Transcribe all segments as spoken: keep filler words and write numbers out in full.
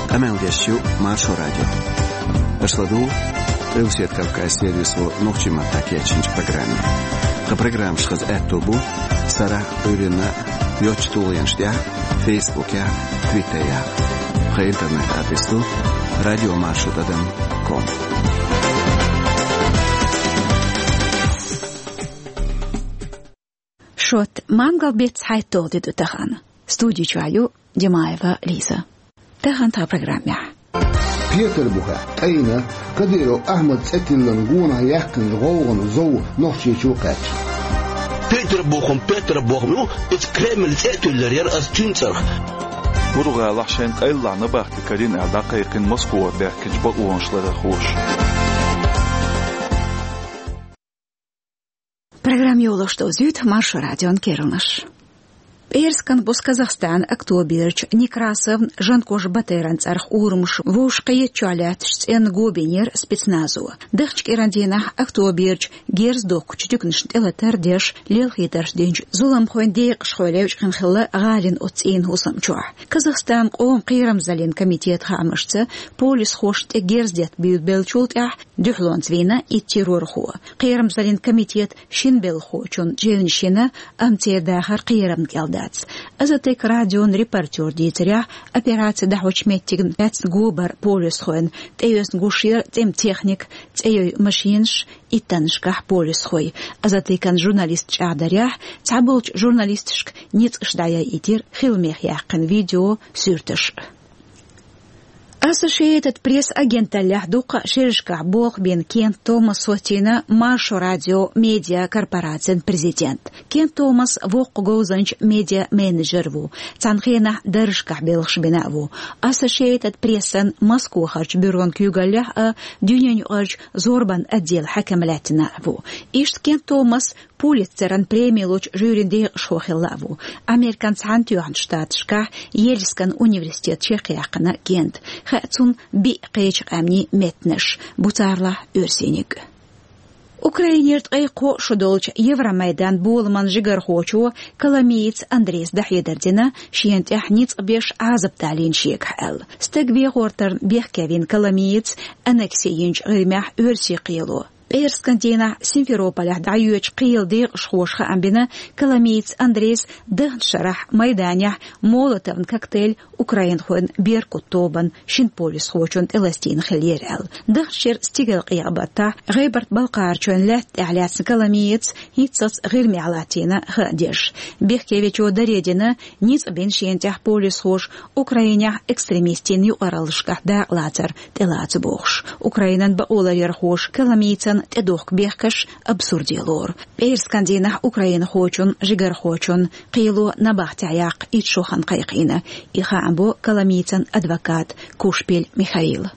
Къамел деш ю Маршо радио. Аша ладугӀу Къилбаседа Кавказан сервисо нохчийн маттахь кечйинчу программе. Тхан программаш хаза аьтто бу сарахь а, Ӏуьйранна а йоцачу тулгӀенаш тӀехь а, Фейсбукехь а, Твиттерехь а. Тхан интернет-адрес ду радио маршо тӀадам ком. Шот, мангал беттан цхьайтталгӀа де ду тахана. Студи чохь ю Димаева Лиза. Тахана тхан программехь. Петарбухехь тӀайна Кадыров Ахьмадан цӀе тиллина гонах яьккхинчу гӀовгӀанан зов Нохчийчу кхаьчна. Петарбухехь, Петарбухехь, ну, иза Кремлан цӀе а туьллур яра аса цуьнан цӀарах. Буру-гӀалахь шайна къайлахь набахти карийна аьлла дӀакхайкхийна Москвара баьхкинчу бакъонаш ларъярхоша. Программа йолош довзуьйту Маршо радион керланаш. ПӀераскан бус Казахстанан Актоберчу Некрасовн Жанкош Батыран цӀарах урамаш вовшахкхетачохь лаьттачу цӀенна го бинера спецназо. Даханчу кӀиран дийнахь Актоберчу герз дохкучу дуьненашна тӀелатар деш, лелхийтарш динчу зуламхойн декъашхой левчкъина хилла гӀалина оцу цӀийнан хӀусам чохь. Казахстанан къоман кхерамзаллин комитетан хаамашца, полисхошна тӀе герз детта буьйлабеллачул тӀаьхьа дуьхьалонца вийна итт террорхо. Кхерамзаллин комитетан шина белхахочунна чевнаш йина, амма церан дахар кхерамна кӀел дац. Азаттык радион репортера дийцарехь, операци дӀахьочу меттигна лаьцна го бара полисхойн, тӀеоьцна гуш яра цӀе-м техника, цӀейой машинаш, иттаннашкахь полисхой. Азаттыкан журналисташа чӀагӀдарехь, цхьаболчу журналисташка ницкъаш дӀаяйийтира хила мех яьккхина видео, суьрташ. Associated Press агенталлехь дуккха а шерашкахь болх бина Кент Томас хӀоттийна Маршо радион медиа корпорацин президент. Кент Томас воккха говзанча медиа-менеджер ву, цхьана хенахь даржашкахь белхаш бина а ву. Associated Press-ан Москвахарчу бюрон куьйгаллехь а, дуьненаюкъарчу зорбанан отделан хьаькам лаьттина а ву. Иштта Кент Томас Пулитцеран преми лучу жюрин декъашхо хилла а ву. Американ Цхьаьнатоьхначу Штаташкахь Йельскан университет чекхъяьккхина Кента. Хаьа цунна биъ кхечу къаьмнийн меттанаш, бу царалахь оьрсийниг. Украинера ткъе кхо шо долчу Евромайдан боламан жигархочо Коломиец Андрейс дӀахьедар дина, шена тӀехь ницкъ беш Ӏазап далийна шегахь аьлла. Стаг вехӀортарна бехке вина Коломиец аннекси йинчу ГӀирмехь оьрсийн кхело. ПӀераскан дийнахь Симферополехь дӀайоьдучу кхелан декъашхоша хаам бина, Коломиец Андрейс дахначу шарахь майданехь молотован коктейль украинхойн «Беркут» тобанан шина полисхочунна тӀеластийна хиллера аьлла. Дахначу шеран стигалкъекъа баттахь ГӀайбарт-Балкхарчойн лаьтта тӀехь лаьцна Коломиец хӀинццалц ГӀирмехь латтийна хаа деш. Бехке вечо даре дина, ницкъ бина шена тӀехь полисхоша Украинехь экстремистийн юкъараллашкахь дакъалацар тӀелаца бохуш. Украинан бакъоларъярхоша Коломийцан тӀедохку бехкаш абсурде лору. ПӀераскан дийнахь украинхочун, жигархочун кхело набахтехь яккха итт шо хан кхайкхийна. И хаам бо Коломийцан адвоката Кушпель Михаила.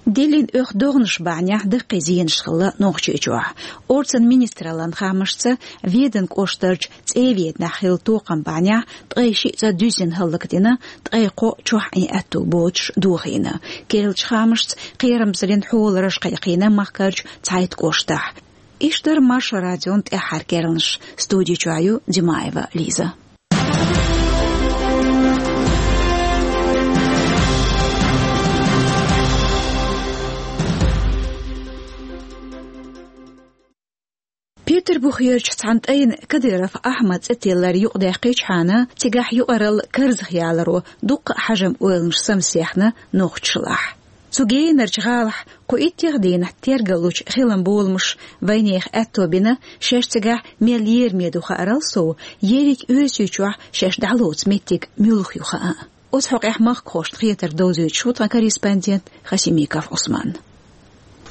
Диллина оьху догӀанаш бахьанехь даккхий зенаш хилла Нохчийчохь. Орцан министраллан хаамашца, Веданан кӀоштарчу ЦӀе-Веданахь хилла токхам бахьанехь ткъе шиъ цӀа дуьззина хӀаллакдина, ткъе кхо чохь Ӏин аьтто боцуш дохийна. Керлачу хаамашца, кхерамзаллин хьолараш кхайкхийна махкарчу цхьайтта кӀоштахь. Иштта дара Маршо радион тӀаьххьара керланаш. Студи чохь ю Димаева Лиза. Петарбухерчу цхьана тӀайна Кадыров Ахьмадан цӀе тиллар юкъадаьккхичхьана, цигахь юкъаралла карзахъяларо дуккха а хьажам-ойланаш самсехна нохчашлахь. Цу генарчу гӀалахь кху иттех дийнахь тергаллучу хилан боламаша вайнехан аьтто бина, шаьш цигахь мел лераме ду хаарал сов, ерриг Оьрсийчохь шаьш дӀалоцу меттиг муьлха ю хаан. Оцу хьокъехь махкахошна хетарг довзуьйтуш ву тхан корреспондент Хасимиков Ӏусман.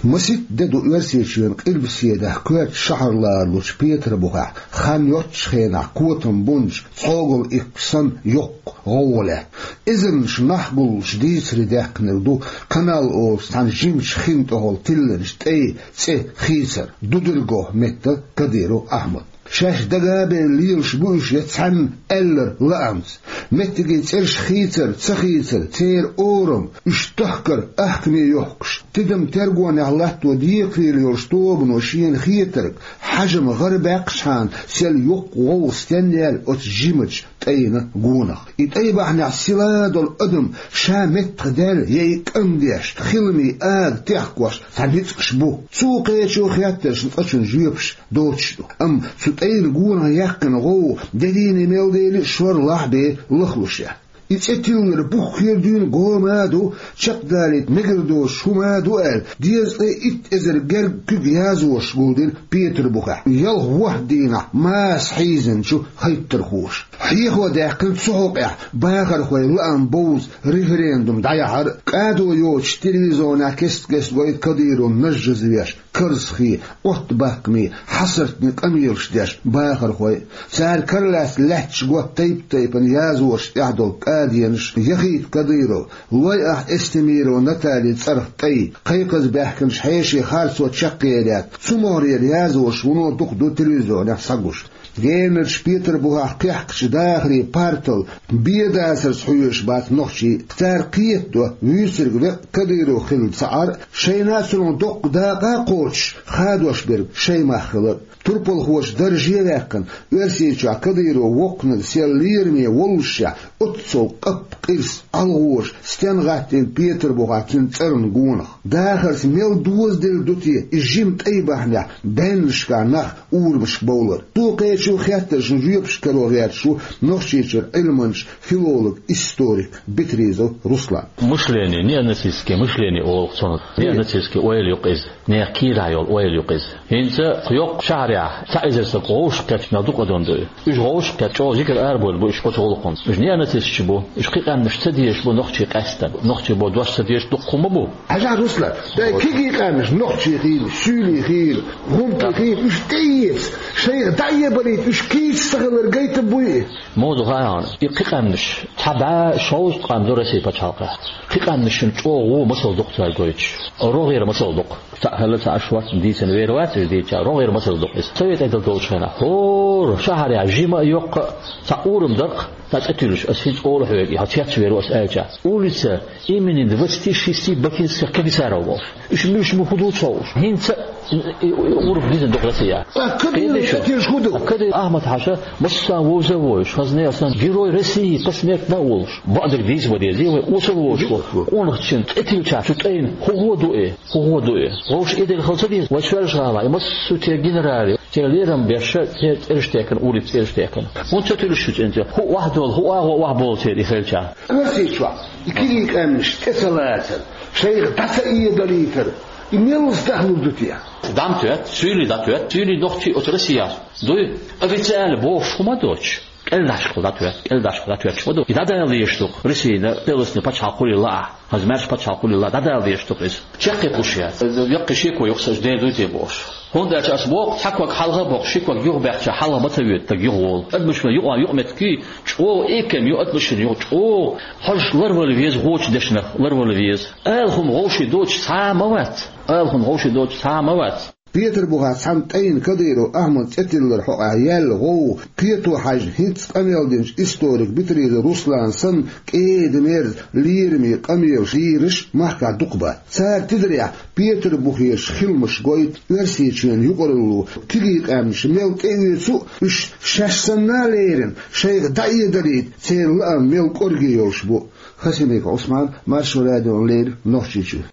Масийтта де ду Оьрсийчоьнан къилбаседахь коьртачу шахьар лоручу Петарбухехь хан йоццучу хенахь котам бунчу цхьогалла иккхачу санна йоккха гӀовгӀа лаьтта. Эзарнаш нах гуллуш дийцаре даьккхинарг ду Канал олучу цхьана жимачу хин тӀехула тиллинчу тӀе, цӀе хийцар, Дудыргох меттан Кадыров Ахьмад. Шаьш дага а бевлла лелаш бу уьш я цхьаьнна аьлларг лаамца. Меттиган цӀераш хийцар, ца хийцар, церан орам, уьш тахкар ахкаме йохкуш, тидам тергонехь латто декхарийлахь йолчу тобано шена хетарг, хьажам гӀарабаьккхичхьана, сел йоккха гӀовгӀа стенна яьлла оцу жимачу тӀайна гонах. И тӀай бахьанехь силадолу адам ша меттах даьлла я и кӀам деш, хиламийн ага техкош цхьа ницкъаш бу. Цо кхечу хеттаршна цкъачунна жоьпаш доцуш ду. Амма цу тӀайна гонах яьккхина гӀовгӀа деррина мел дели шорлахь бен лахлуш яц. И цӀе тиллар буххера дуьйна го ма ду, чекхдалийта мегар доцуш хӀума ду аьлла, дезткъе итт эзар герга куьг язбошца гулдина Петарбухехь, ялх-ворхӀ дийнахь маса хьийзинчу хӀоттархоша. Хьехо даьккхина цу хьокъехь бахархойн лаам бовза референдум дӀаяхьар а. Кадо йоцуш телевизионехь кест-кеста гойту Кадыровн нажжаза веш, карзахий, оттабаккхамий, хьасартний къамелаш деш бахархой. Цара каралаьцна лаьтташ готта тайп-тайпана язбошца тӀехь долу каденаш яхийта Кадыров, лой ахь Эстемирова Натали цӀарах тӀай, кхайкхаза баьхкинчу хьешийн харцо чекхъялийта, цу могӀарера язбош вуно дукха ду телевизионехь схьагуш. Генарчу Петарбухехь кхехкачу дахарийн партал бен дацарца хьоьжуш бац нохчий. Цара кхетадо, вуьйцург веккъа Кадыров хилла ца Ӏар а, шайна а цунах доккха дакъа а кхочуш, хадош берг шайн мах хилар. Турпалхоша дарже а ваьккхина, Оьрсийчохь Кадыров воккханиг сел лераме воллушехь, оццул къаппа къирса, ӀалгӀоша стен гӀаттийна Петарбухехь цуьнан цӀарна гонах. Дахарца мел дозаделла ду те и жима тӀай бахьанехь баьннашкахь нах урамашка бовлар? Цо кхечу хеттаршна жоьпаш каро гӀерташ ву Нохчийчуьра Ӏилманча, филолог, историк Бетризов Руслан. Мышление, неонацистское мышление олу цунах. Неонацистский ойла ю-кх иза, нехан кийрахь йолу ойла ю-кх иза. ХӀинца йоккха шахьарехь цхьа эзар стаг вовшахкхетча мел дукха адам ду и. Уьш вовшахкхетча чӀогӀа жигара арабевлла бу уьш оцу гӀуллакханца. Уьш неонацисташ бу, уьш кхин къаьмнаш ца дезаш бу нохчий къаьстина. Нохчий боху дош ца дезаш дуккха хӀума бу. Хьажахь, Руслан, дай кегий къаьмнаш, нохчий хилла, суьйлий хилла, гӀумкий хилла, уьш тӀеэца, шайх дӀаэбалийта уьш кийча ца хилар гайта буй и? Муха ду хаьий хьуна, и кхин къаьмнаш, цхьа бӀе шовзткъа къам ду Россин пачхьалкхехь. Кхин къаьмнашна чӀогӀа вон масал ду-кх цара гойтуш. РогӀера масал ду-кх. Цхьаъ хилла, цхьа аша вац, дийцина вер вац уьш дийцича, рогӀера масал ду-кх иза. Совет Ӏедал долчу хенахь, хӀора шахьарехь жима а, йоккха а, цхьа урам дара-кх, цхьа цӀе туьллуш, ас хӀинца олу хьоьга, и хьо цецвер ву ас аьлча. Улица имени двадцати шести бакинских комиссаров бохуш. Уьш муьлш бу, хӀун ду ца хууш. ХӀинца а и, и, и урам дизина ду-кх Россехь. Ткъа Кадыровн тӀе тилла хӀун ду? Кадыров Ахьмад-хьаьжа массарна вовза а вовзуш, хазне а сан Герой России посмертно а волуш. Бакъдерг дийца ма дезий вай, осал а волуш. Къонахчун тӀе тиллачохь цу тӀайна хӀун гӀо ду и? ХӀун гӀо ду и? Вовшах и дерг хила ца деза вай Соьлжа-ГӀалахь, и массо а церан генералий, церан лерам беш, церан цӀераш текхна, улица цӀераш текхна. ХӀунда ца туьллуш шу цӀен цӀе? ХӀун охьадолу, хӀун агӀо охьаболу церан и хилча? Оьрсийчохь и кегий къаьмнаш тӀе ца лацар, шайх дӀа ца эдалийтар, и меллаца дахлур ду те? ДӀа ма тоьтту, суьйлий дӀатоьтту, суьйлий нохчий оцу Россехь дуй, официально бохуш хӀума доцуш. КӀелдашка дӀатоьтту, кӀелдашка дӀатоьттуш ма ду. И дӀадала дезаш ду-кх Россина, Палестинан пачхьалкх хуьлийла а, хаза маьрша пачхьалкх хуьлийла а, дӀадала дезаш ду-кх иза. Чеккхе кхуьуш яц. Яккхий шеко ю-кх сан, ден дуй те бохуш. ХӀунда аьлча ас боху, цхьа ког хьалха а боккхуш, ши ког юха баьхча, хьалха ма ца воьду стаг юха волу. Адамашна юкъа юкъаметтиг чӀогӀа эккам ю, адамашна юкъа чӀогӀа хьожуш ларвала веза, вочу дешнах ларвала веза. Ала хӀума вовшийн доцуш цхьа а ма вац. Ала хӀума вовшийн доцуш цхьа а ма вац. Петарбухехь цхьана тӀайна Кадыров Ахьмадан цӀе тиллар хьокъехь яьлла гӀовгӀа кхето хьаьжна, хӀинца къамел динчу историк Бетризов Руслана санна, кӀеда-мерза лераме къамелаш лелораш махкахь дукха бац. Цара тидарехь Петарбухерчу хиламаша гойту Оьрсийчоьнан юкъаралло кегий къаьмнаш мел тӀеоьцу а, уьш шаьш санна а лерина, шайх дӀаэдалийта церан лаам мел кӀорге йолуш бу. Хасимиков Ӏусман, Маршо радиона леррина, Нохчийчуьра.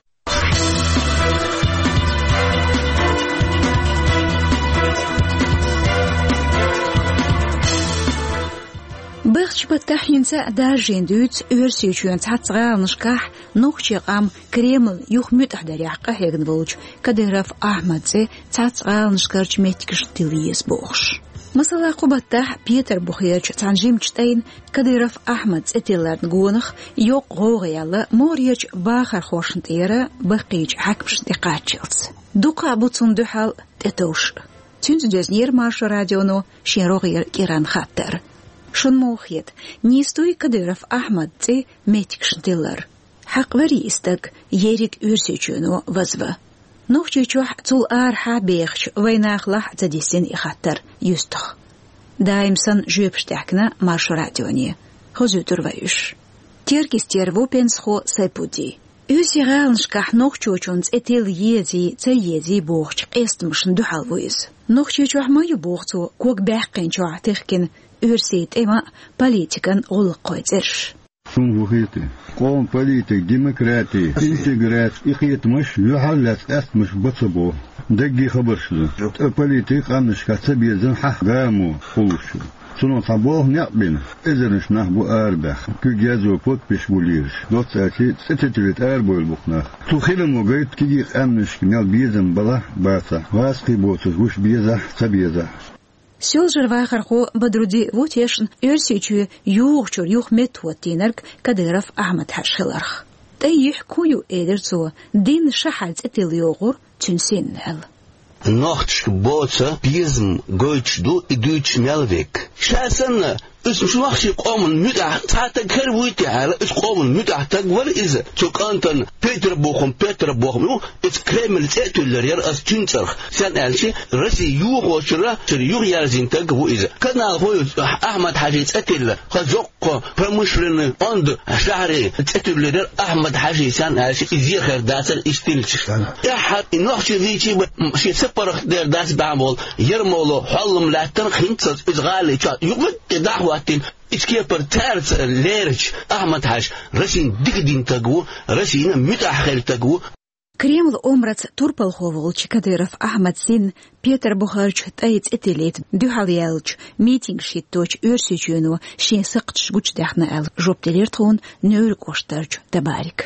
Бехачу баттахь хӀинца а даржийна дуьйцу Оьрсийчоьнан цхьацца гӀаланашкахь нохчийн къам Кремль юха муьтӀахь дарехь къахьегна волчу Кадыров Ахьмадан цӀе цхьацца гӀаланашкарчу меттигашна тилла еза бохуш. Масала, кху баттахь Петарбухерчу цхьана жимачу тӀайна Кадыров Ахьмадан цӀе тилларна гонах йоккха гӀовгӀа яьлла могӀарерчу бахархошна тӀера, баккхийчу хьаькамашна тӀе кхаччалц. Дукха а бу цунна дуьхьал тӀетовш. Цуьнца доьзнера Маршо радионо шен рогӀера кӀиран хаттар. Шуна муха хета, нийса дуй Кадыров Ахьмадан цӀе меттигашна тиллар? Хьакъ верий и стаг ерриг Оьрсийчоьно вазван? Нохчийчохь, цул арахьа а бехачу вайн нахалахь а ца дисина и хаттар юьстах. Даим санна жоьпаш даьхкина Маршо радионе. Хозуьйтур вай уьш. Теркйистера ву пенсахо Сайпудди. Оьрсийн гӀаланашкахь нохчочун цӀе тилла езий, ца езий бохучу къестамашна дуьхьал ву иза. Нохчийчохь ма ю, боху цо, ког баьккхинчохь техкина оьрсийн тӀеман а, политикан а гӀуллакхойн цӀераш. Суна хӀун хета? Къоман политика, демократи, интеграци, и кхетамаш юьхьарлаьцна къаьстамаш бан ца боху. Даггара хабарш ду. Ткъа политика къаьмнашкахь ца безам хьахагамо хуьлуш ю. Цунах цхьа болх некъ бина, эзарнаш нах бу арабаьхна. Куьг язъян подписаш бу лелаш. Доцца аьлча, цӀе теталийта арабевлла бу-кх нах. Цу хиламо гайта кегий къаьмнашка мел безам балахь а, бацахь а, гӀазкхий боцурш гуш безахь а, ца безахь а. Соьлжаран вахархо Бадрудин ву тешна Оьрсийчоь юхучуьра юха меттахӀоттийнарг Кадыров Ахьмад-Хьаьжа хиларх. ТӀай юьхь хӀун ю, элира цо, дийнна шахьар цӀе тилла йогӀура цуьнан синна аьлла. Нохчашка боцу безам гойтуш ду и дуьйцуш мел верг. Ша санна, иза нохчийн къоман муьтӀахь цхьа стаг хир вуй те аьлла, иза къоман муьтӀахь стаг вара иза. Цу кӀантана Петр бохам, Петр бохам ю, иза Кремлан цӀе а туьллур яра аса цуьнан цӀарах. Стенна аьлча, Росси юхочуьра, цуьра юхаерзийна стаг ву иза. Каналхо ю Ахьмад-Хьаьжин цӀе тилла, хаза йоккха промышленный онда шахьаре цӀе туьллур яра Ахьмад-Хьаьжин, стенна аьлча, иза ехар дацара иштта хилча. ТӀаьххьара и нохчий гӀийчи бан шен са паргӀат дер дац бахьана болу Ермоло хьоллам лаьттара хӀинццалц иза гӀали чохь юкъа тӀе дӀахӀоттийна. Иза кепара цаьрца лерачу Ахьмад-Хьаьжа Россин дика дина стаг ву, Россина муьтӀахь хилла стаг ву. Кремлан омраца турпалхо волчу Кадыров Ахьмадан синна Петарбухарчу тӀай цӀе тиллийта дуьхьал яьллачу митингаш хӀитточу Оьрсийчоьно шен сакхташ гучудаьхна аьлла жоп делира тхуна Невран кӀоштарчу Табарика.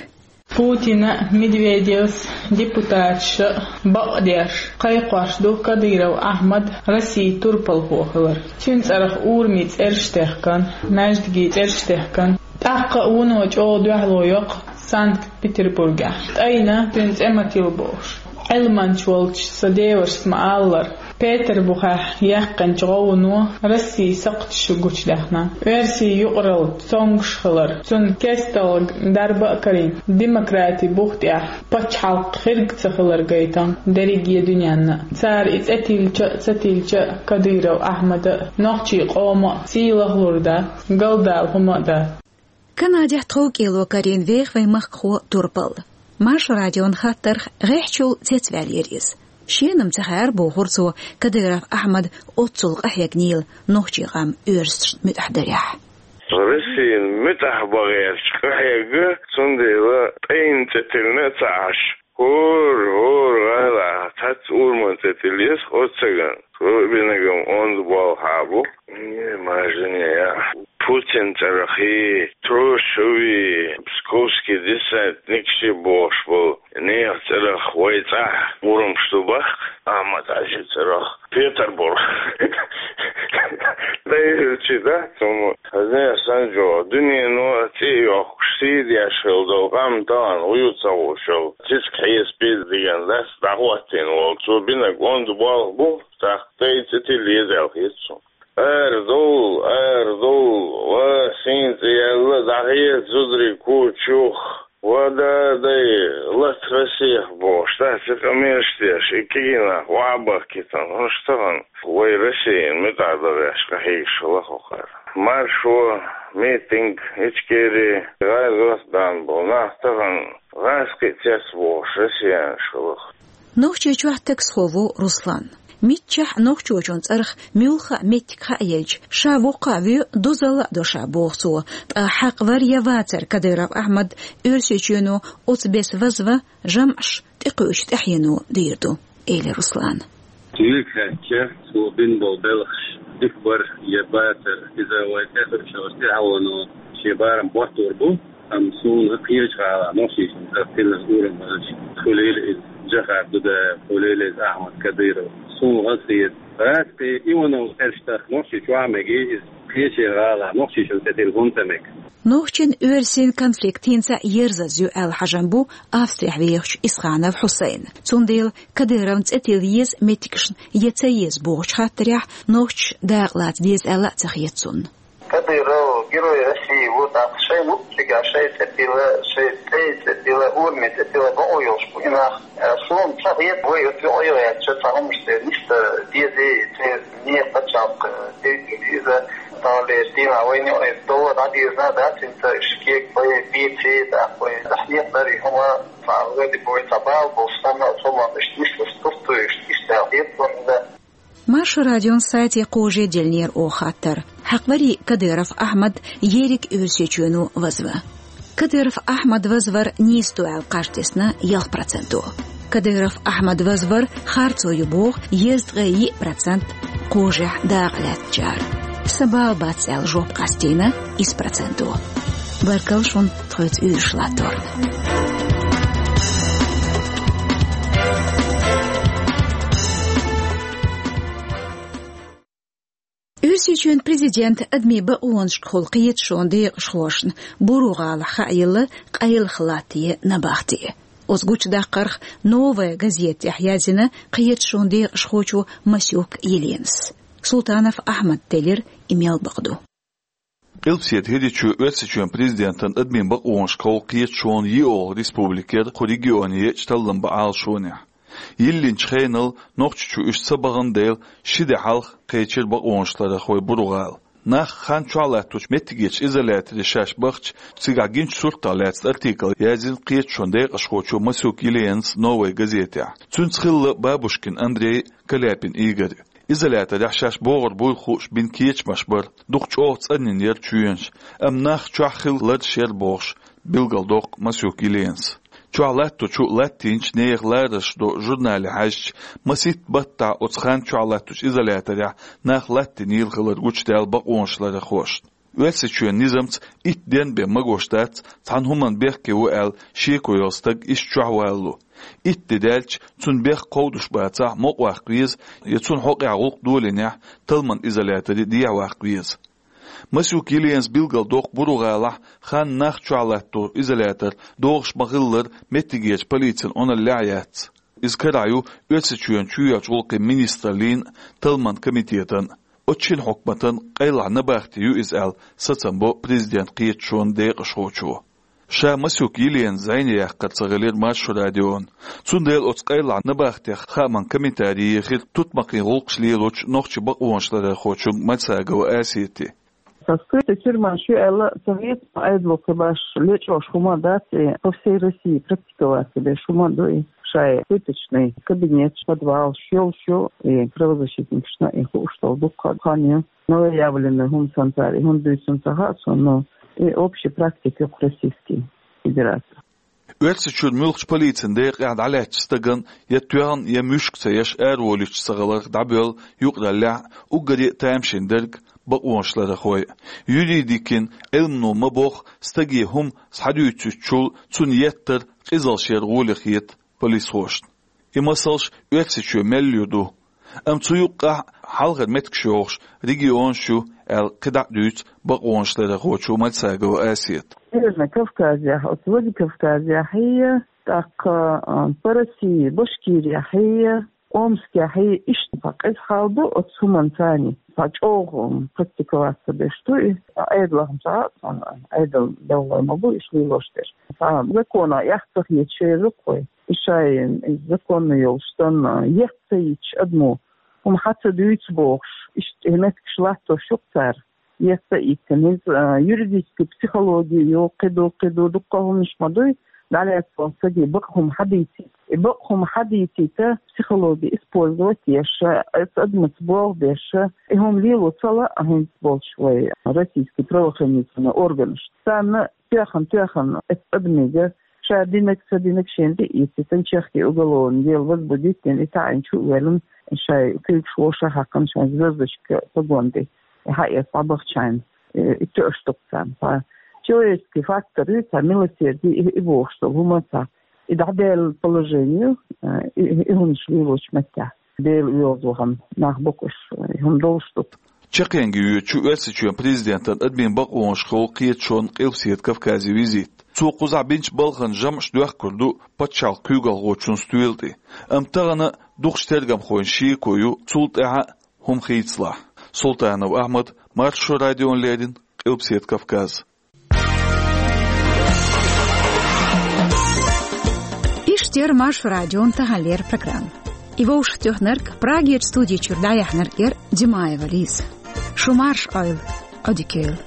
Путина, Медведевс, депутаташа бакъдеш кхайкхош ду Кадыров Ахьмад Россин турпалхо хилар. Цуьнан цӀарах урамийн цӀераш техкан, маьждигийн цӀераш техкан. ТӀаккха а вуно чӀогӀа дуьхьало йоккху Санкт-Петербургехь. ТӀайна цуьнан цӀе ма тилла бохуш. Ӏилманча волчу сан девашас ма-аллара, Петарбухехь яьккхинчу гӀовгӀано Россин сакхташ гучудаьхна. Оьрсийн юкъаралла цомгуш хилар, цунна кестта дарба а карийна, демократи бух тӀехь пачхьалкх хирг ца хилар гайтан дерриге дуьненна. Цара и цӀе тиллича а, ца тиллича а, Кадыров Ахьмада а, нохчийн къома а сий лахлур дац, галдала хӀума а дац. Канадехь тховкӀело карийна веха вайн махкахо турпал. Маршо радион хаттарх гӀеххьачул цецваьллера иза. Шена-м ца хаьара, бохура цо, Кадыров Ахьмад оццул къахьегнийла нохчийн къам оьрсашна муьтӀахь дарехь. Россина муьтӀахь бан гӀерташ къахьегна, цундела тӀайна цӀе тиллина а ца Ӏаш. ХӀора, хӀора гӀала, цхьацца ураман цӀе тилла еза оццу стагана. Цо бинарг-м онда болх бу. Не, мажане, я. Путин цӀарахий, Трушеви, псковский десантникший бохуш болу нехан цӀарах вай цӀахь урамаш ду баккха, Ахьмад-Хьаьжин цӀарах Петарбург. Дай хӀуьлчи дац хӀума. Хаза санна чӀогӀа дуьнено цӀе а йоккхуш, сий деш хилла долу къам тахана вуй ца хууш йолу. Цициг хьесапе диган лаьцна дӀахӀоттийна волу. Цо бинарг онда болх бу, тӀаккха тӀай цӀе тилла еза аьлла хета суна. Арадовла, арадовла, ва сийна цӀе яьлла, дӀахеца зударий куча юха. Ва да, дай, лата Россех бохуш, да, цу къамелаш деш, и кегий нах охьабахкийтина, хӀунда тахана вай Россина муьтӀахь дарехь къахьегаш хилла хӀокхара. Маршо, митинг, Ичкери, гӀазот бан болу нах тахана гӀазкхи цец бохуш россиянаш хилла. Нохчийчохь таксхо ву Руслан. Миччахь нохчочун цӀарах муьлхха а меттиг хаа елча, ша воккха а вуьйцу, дозалла а до ша, боху цо. Ткъа хьакъ вар я вацар Кадыров Ахьмад Оьрсийчоьно оцу беса вазван жамӀаш тӀекхуьучу тӀаьхьено дийр ду, элира Руслана. Цуьнга хаьттича, цо бина болу белхаш дика бара я бацара, иза вай тӀехуьучу тӀаьхьено шен барам хӀоттор бу. Амма суна кхечу гӀалахь нохчочун цӀарах тиллина урам бахча, хуьлийла иза Джохар Дудаев, хуьлийла иза Ахьмад Кадыров. Суна хазахета, гӀазкхи Иванов цӀераш тахка Нохчийчохь а мегий иза, кхечеран гӀалахь нохчочун цӀе тилла хӀунда ца мега? Нохчийн-оьрсийн конфликт хӀинца а ерзаза ю аьлла хьажам бу Австрехь вехачу Исханов Хьусайна. Цундела Кадыровн цӀе тилла еза меттигашна я ца еза бохучу хаттарехь нохчаша дакъа лаца деза аьлла а ца хета цунна. Кадыров Герой России ву, тӀаккха шайн муьтӀахь шайн цӀе тилла, шайн тӀе цӀе тилла, ураман цӀе тилла бакъо йолуш бу и нах. Суна ца хета, вай оцу юкъа йогӀу яьлча цхьа хӀуманаш церан нисса дезий, церан нехан пачхьалкх дезий иза, тахана дийнахь вайна юкъа иза довла. Надежда, да, цинца шкек, бой, бици, да, бой, захнет, да, рихума, фалгы, ди, бой, табал, бостана, солан, иштис, стуфту, иштис, да, хет, да. Маршо радион сайте кхожа делнер оха хаттар. Хьакъ варий Кадыров Ахьмад ерриг Оьрсийчоьно вазвар. Кадыров Ахьмад вазвар нийса ду аьлла кхаж тесна ялх проценто. Кадыров Ахьмад вазвар харцо ю боху езткъе йиъ процент кхожехь дакъа лаьцначара. Сан бала бац аьлла жоп къастийна исс проценто. Баркалла шуна тхоьца уьйраш латторна. Оьрсийчоьнан президента адамийн бакъонашкахула кхеташонан декъашхошна Буру-ГӀалахь хаа елла къайлаха латта я набахти. Оцу гучудаккхарх «Новая газета» тӀехь яздина кхеташонан декъашхочо Масюк Еленас. Султанов Ахьмада теллира и мел бакъ ду. Къилбаседа ХӀирийчоь Оьрсийчоьнан президентан адамийн бакъонашкахула кхеташонан йиъолгӀа республика яра кху регионе еъча таллам бан Ӏалашонехь. Йиллинчу хенал Нохчийчу уьш ца бахана дела, ши де хьалха кхечира бакъонашларъярхой Буру-ГӀала. Нах хан чохь латточу меттигерчу изоляторе шаьш бахча, цигахь гинчу суртах лаьцна артикл яздина кхеташонан декъашхочо Масюк Еленас «Новая газетехь». Цуьнца хилла Бабушкин Андрей, Каляпин Игорь. Изоляторехь шаьш богӀур буйла хууш бина кечамаш бара, дукха чӀогӀа цӀанйина яра чоьнаш, амма нах чохь хилла лараш яра бохуш, билгалдоккху Масюк Еленас. Чохь латточу, латтийначу нехан ларарш до журнале хьаьжча, масийтта баттахь оцу хан чохь латточу изоляторехь нах латтийнийла хилар гучудаьлла бакъонашларъярхошна. Оьрсийчоьнан низамца итт ден бен магош дац, цхьана хӀуманна бехке ву аьлла шеко йолу стаг иштта чохь валло. Итт де даьлча, цунна бехк кховдуш бацахь, мукъаваккха веза, я цунна хьокъехь гӀуллакх долийнехь, талламан изоляторе дехьаваккха веза. Масюк Еленас билгалдоккху Буру-ГӀалахь хан нах чохь латто изолятор догӀуш ма-хиллара меттигерчу полицин Ӏуналлехь а яц. Иза карахь ю Оьрсийчоьнан чоьхьарчу гӀуллакхийн министраллин, талламан комитетан. Оцу шина хьукматан къайлаха набахти ю иза аьлла сацам бо президентан кхеташонан декъашхочо. Ша Масюк Елена зӀене яккхар ца хилира Маршо радион. Цундела оцу къайлаха набахтех хааман комментарий ехира тутмакхийн гӀуллакхаш лелочу нохчийн бакъонашларъярхочун Мальсагова Асети. Со скрытой тюрьма шу аьлла, совет айдло кхин баш лечкъош хӀума дац, и по всей России практиковаться беш хӀума ду, и шай пыточный кабинет, подвал, шел шу, и правозащитникашна и хууш долу дуккха хан ю. Новоявленный хӀума санна цара и хӀунда дуьйцу ца хаьа суна, но и общий практика ю кху Российский Федерации. Оьрсийчуьра муьлххачу полицин декъехь дӀалаьцначу стагана я тоьхна, я муьшка ца еш араволуьйтуш ца хиларх дӀабоьллу юкъараллехь уггаре а тамашийна дерг бакъонашларъярхой. Юридикин Ӏилмано ма-бохху, стаге хӀума схьадуьйцуьйтучул цунна еттар къизалла шера гӀоле хета полисхошна. И масалш Оьрсийчоь мел юр ду. Амма цу юккъехь хьалхара меттигаш йохуш регионаш ю аьлла кхидӀа а дуьйцу бакъонашларъярхочо Мальсагова Асета. Северный Кавказехь, оцу Владикавказехь, тӀаккха, а, по России, Башкирехь, Омскехь, иштта цхьа къиза хьал бу оцу хӀуманца, цхьа чӀогӀа практиковаться беш ду и. Ӏедалах ма цхьа а цхьана, Ӏедал белхалой ма бу иштта лелош дерш. Цхьа законах эхь ца хеташ еза кхой. И шайн, и законна йолуш санна, етт ца йитча адамо, хӀума хьа ца дуьйцу бохуш, иштта и меттигаш латтош ю-кх цара, етт ца йиттина. Иза, а, юридический психологи ю, кхин ду, кхин ду, дуккха хӀуманаш ма дуй, дӀалаьцна волу стаге бакъ хӀума хьадийцийта. И бакъ хӀума хьадийцийта, психологи использовать еш, оцу адамаца болх беш, и хӀума лело ца лаьа хӀинца болчу вай российский правоохранительный органаш. Царна тоьхна-тоьхна оцу адамига ша динарг, ца динарг шена тӀе а эцийта, чехке уголовное дело возбудить дина, и таӀийна чу а ваьлла, шайн куьйгаш вовшах а хьаькхна, шайн звёздочка погон тӀе и хьаэца дӀабахча, и, и тоьуш ду-кх царна. Цхьа человеческий фактор ю, цхьа милосердие, и, и бохуш долу хӀума, цхьа и дӀадаьлла положение ю, и, и, и хӀуманаш лелочу меттехь. Дела оьгӀаз вахана нах боккхуш, и хӀума долуш ду. Чаккхенгахь йоьдучу Оьрсийчоьнан президентан адамийн бакъонашкахула кхеташонан Къилбаседа Кавказе визит. Цо кхузахь бинчу балхана жамӀаш доьхкур ду пачхьалкхан куьйгалхочун стоьла тӀе. Амма тахана дукхачу тергамхойн шеко ю цул тӀаьхьа хӀума хийцалахь. Султанов Ахьмад, Маршо радиона леррина, Къилбаседа Кавказ. Иштта яра Маршо радион таханлера программа. И вовшахтоьхнарг, Прагерчу студи чуьра дӀаяьхьнарг яра Димаева Лиза. Шу марша Ӏойла, Ӏодика йойла.